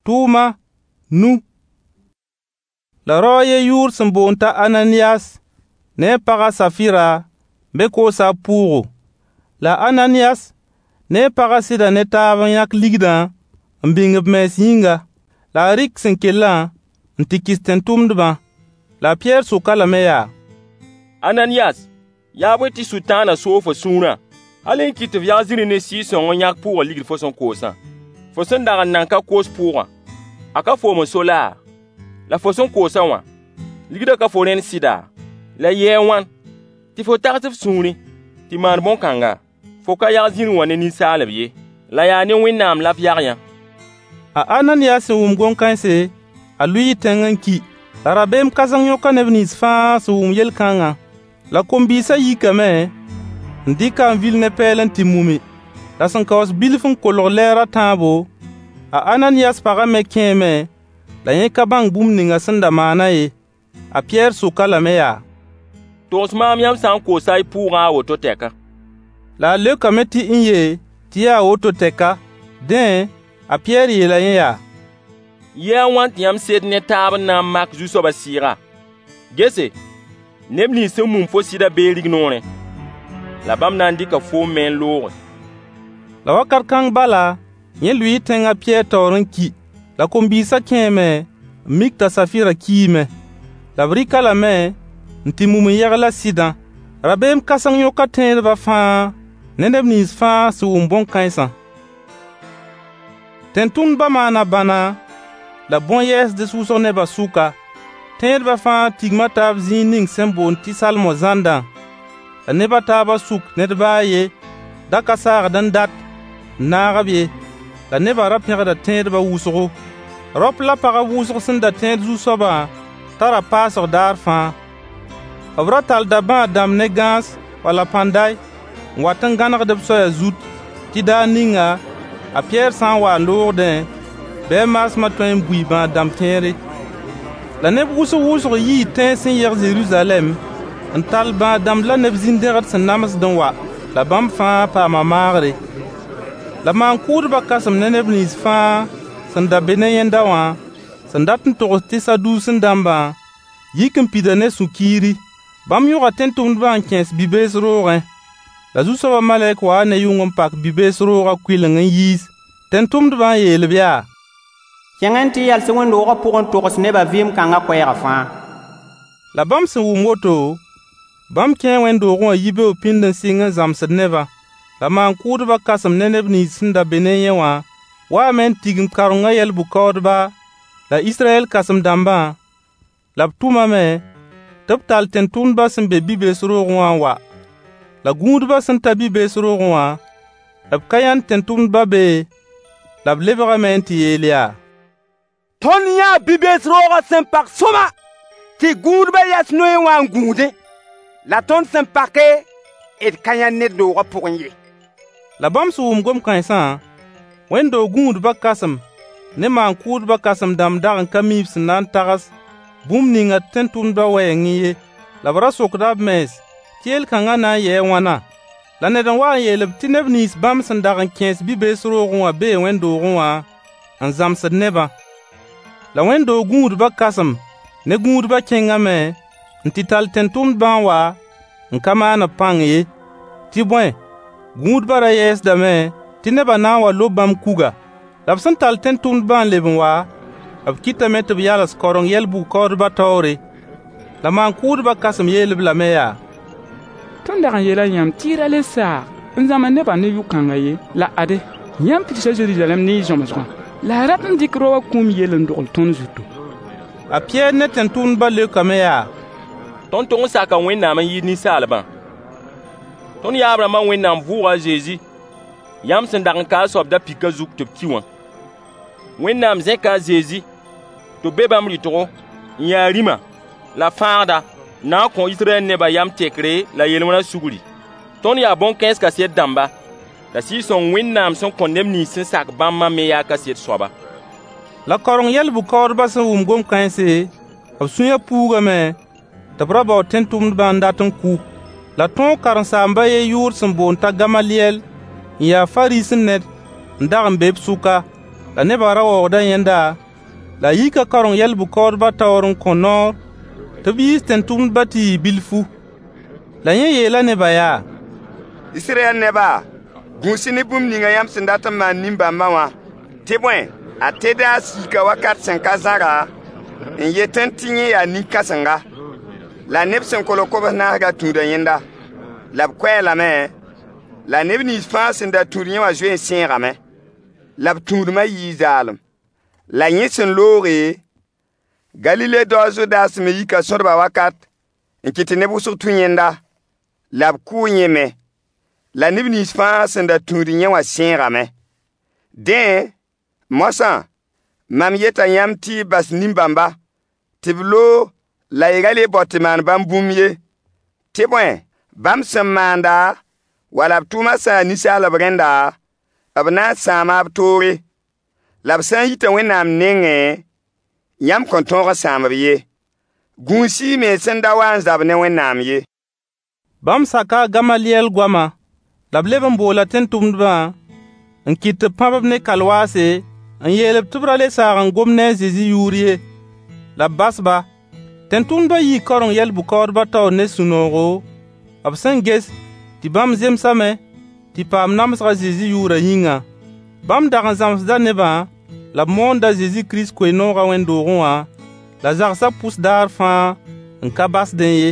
Tʋʋma nu. La rao a yen yʋʋr sẽn boond t'a Ananiyas ne a pag a Safira me koosa b pʋʋgo. La a Ananiyas ne a pagã sɩda ne taab n yãk ligdã n bĩng b mens yĩnga. La a rɩk sẽn kellã n tɩ kɩs tẽn-tʋmdbã. La a Pɩyɛɛr sok-a lame yaa: Ananiyas, yaa bõe tɩ Sʋtãanã soog fo sũurã, hal n kɩt tɩ f yag zĩri ne Sɩɩg-sõng n yãk pʋʋgã ligd fo sẽn koosã? Fo sẽn dag n nan ka koos pʋʋgã, a ka foom n so laa? La fo sẽn koos-a wã, ligdã ka fo rẽnd sɩda? La yɩɩ a wãn tɩ fo tags f sũurẽ tɩ maan bõn-kãnga? Fo ka yag zĩri wã ne ninsaalb ye, la yaa ne Wẽnnaam la f yag yã. A Ananiyas sẽn wʋm gom-kãense, a lʋɩɩ tẽng n ki. La rabeem kãseng yõka neb nins fãa sẽn wʋm yel-kãngã. La kom-bɩɩsã yikame n dɩk-a n vil ne pɛɛl n tɩ mumi. La sẽn kaoos bilf n kolg lɛɛr a tãabo, a Ananiyas pagã me kẽeme la yẽ ka bãng bũmb ninga sẽn da maanã ye. A Pɩyɛɛr sok-a lame yaa: Togs maam yãmb sã n koosa y pʋʋgã a woto tɛka? La a leokame tɩ n-ye, tɩ yaa woto tɛka. Dẽ, a Pɩyɛɛr yeela yẽ yaa: Yɩɩ a wãn tɩ yãmb sed ne taab n na n mak Zu-soabã sɩɩga? Gese, neb nins sẽn mum fo sɩdã bee rignoorẽ, la bãmb na n dɩka foom me n looge. La wakat kãng bala, yẽ lʋɩɩ tẽng a Pɩyɛɛr taoor n ki. La kom-bɩɩsã kẽeme n mik t'a Safira kiime. La b rɩk-a lame n tɩ mum n yegl a sɩdã. Rabeem kãseng yõka tẽedbã fãa ne neb nins fãa sẽn wʋm bõn-kãensã. Tẽn-tʋmdbã maana bãna la bõn-yɛɛsds wʋsg nebã sʋka. Tẽedbã fãa tigma taab zĩig ning sẽn boond tɩ Salmo zãndã. La neb a taabã sʋk ned ba a yen da ka saagd n dat n naag-b ye. La nebã ra pẽgda tẽedbã wʋsgo. Raop la pagb wʋsg sẽn da tẽed Zu-soabã tara paasg daar fãa. B ra tallda bãad-dãmb ne gãas wala pãnday n wat n gãnegd-b soaya zut, tɩ daar ninga a Pɩyɛɛr sã n wa n loogdẽ, bɩ a maasmã tõe n bui bãad-dãmb kẽere. La neb wʋsg-wʋsg yii tẽns sẽn yeg Zeruzalɛm n tall bãad-dãmb la neb zĩn-dẽgd sẽn namsd n wa. La bãmb fãa paama maagre. La maan-kʋʋdbã kãsem ne neb nins fãa sẽn da be ne yẽnda wã sẽn dat n togs tɩ Saduusẽ-dãmbã yik n pida ne sũ-kiiri. Bãmb yõga tẽn-tʋmdbã n kẽes bi-bees roogẽ. La Zu-soabã malɛk waa ne yʋng n pak bi-bees roogã kʋɩleng n yiis. Tẽn-tʋmdbã n yeel-b yaa: Kẽng-y n tɩ yals wẽnd-doogã pʋg n togs nebã vɩɩm kãngã koɛɛgã fãa. La bãmb sẽn wʋm woto, bãmb kẽe wẽnd-doogẽ wã yibeoog pĩnd n sɩng n zãmsd nebã. La maan-kʋʋdbã kãsem ne neb nins sẽn da be ne yẽ wã waame n tigim kaorengã yɛl-bʋ-kaoodba la Israyɛl kãsem-dãmbã, la b tʋmame tɩ b tall tẽn-tʋmdbã sẽn be bi-bees roogẽ wã n wa. La gũudbã sẽn ta bi-bees roogẽ wã, b ka yãnd tẽn-tʋmdbã be, la b lebgame n tɩ yeel yaa: Tõnd yãa bi-bees roogã sẽn pak sõama tɩ gũudbã yas noyẽ wã n gũudẽ. La tõnd sẽn pake, d ka yãnd ned doogã pʋgẽ ye. La bãmb sẽn wʋm gom-kãensã, wẽnd-doog gũudbã kãsem ne maan-kʋʋdbã kãsem-dãmb dag n ka mi b sẽn na n tags bũmb ninga tẽn-tʋmdbã wɛɛngẽ ye. La b ra sokda b mens tɩ yel-kãngã na n yɩ a wãna. La ned n wa n yeel-b tɩ neb nins bãmb sẽn dag n kẽes bi-bees roogẽ wã bee wẽnd-doogẽ wã n zãmsd nebã. La wẽnd-doog gũudbã kãsem ne gũudbã kẽngame n tɩ tall tẽn-tʋmdbã n wa n ka maan-b pãng ye. Tɩ bõe, gũudbã ra yɛɛsdame tɩ nebã na n wa lob bãmb kuga. La b sẽn tall tẽn-tʋmdbã n leb n wa, b kɩtame tɩ b yals kaoreng yɛl-bʋ-kaoodbã taoore. La maan-kʋʋdbã kãsem yeel-b lame yaa: Tõnd dag n yeela yãmb tɩ y ra le saag n zãmsd nebã ne yʋ-kãngã ye. La ade, yãmb pidsa Zeruzalɛm ne y zãmsgã. La y rat n dɩk rao wã kũum yell n dogl tõnd zutu. A Pɩyɛɛr ne tẽn-tʋmdbã leokame yaa: Tõnd tog n saka Wẽnnaam n yɩɩd ninsaalbã. Tõnd yaab-rãmbã Wẽnnaam vʋʋga a Zezi, yãmb sẽn dag n ka a soab da-pɩkã zug tɩ b ki wã. Wẽnnaam zẽka a Zezi tɩ b be bãmb rɩtgo n ya Rĩma la Fãagda n na n kõ Israyɛl nebã yam tekre la yel-wẽna sugri. Tõnd yaa bõn-kãens kaset dãmba, la Sɩɩg-sõng Wẽnnaam sẽn kõ neb nins sẽn sak bãmbã me yaa kaset soaba. La kaoreng yɛl-bʋ-kaoodbã sẽn wʋm gom-kãense, b sũyã puugame tɩ b ra bao tẽn-tʋmdbã n dat n kʋ. La tõog karen-saamb a yen yʋʋr sẽn boond t'a Gamaliyɛl n ya Fariisẽ ned n dag n be b sʋka. La nebã ra waoogda yẽnda, la a yika kaoreng yɛl-bʋ-kaoodbã taoor n kõ noor tɩ b yiis tẽn-tʋmdbã tɩ yɩ bilfu. La yẽ yeela nebã yaa: Israyɛl neba, gũus-y ne bũmb ninga yãmb sẽn dat n maan nin-bãmbã wã. Tɩ bõe, a Tedaas yika wakat sẽn ka zãra n yetẽ tɩ yẽ yaa nin-kãsenga. La neb sẽn kolg kobs-naas ra tũuda yẽnda. La b kʋ-a lame, la neb nins fãa sẽn da tũud yẽ wã zoe n sẽegame. La b tũudmã yɩɩ zaalem. La yẽ sẽn looge, Galile dao a Zudas me yika sõdba wakat n kɩt tɩ neb wʋsg tũ yẽnda. La b kʋʋ yẽ me. La neb nins fãa sẽn da tũud yẽ wã sẽegame. Dẽ, moasã, mam yeta yãmb tɩ y bas nin-bãmba, tɩ b loog la y ra le bao tɩ maan bãmb bũmb ye. Tɩ bõe, bãmb sẽn maanda, wala b tʋʋmã sã n ya ninsaalb rẽnda, b na n sãama b toore. La b sã n yita Wẽnnaam nengẽ, yãmb kõn tõog n sãam-b ye. Gũus-y y mens n da wa n zab ne Wẽnnaam ye. Bãmb saka a Gamaliyɛl goama. La b leb n boola tẽn-tʋmdbã n kɩt tɩ b pãb-b ne kalwaase n yeel-b tɩ b ra le saag n gom ne a Zezi yʋʋr ye. La b bas-ba. Tẽn-tʋmdbã yii kaoreng yɛl-bʋ-kaoodbã taoor ne sũ-noogo, b sẽn ges tɩ bãmb zemsame tɩ paam namsg a Zezi yʋʋrã yĩnga. Bãmb dag n zãmsda nebã la b moonda a Zezi Kirist koe-noogã wẽnd-doogẽ wã la zagsã pʋs daar fãa n ka basdẽ ye.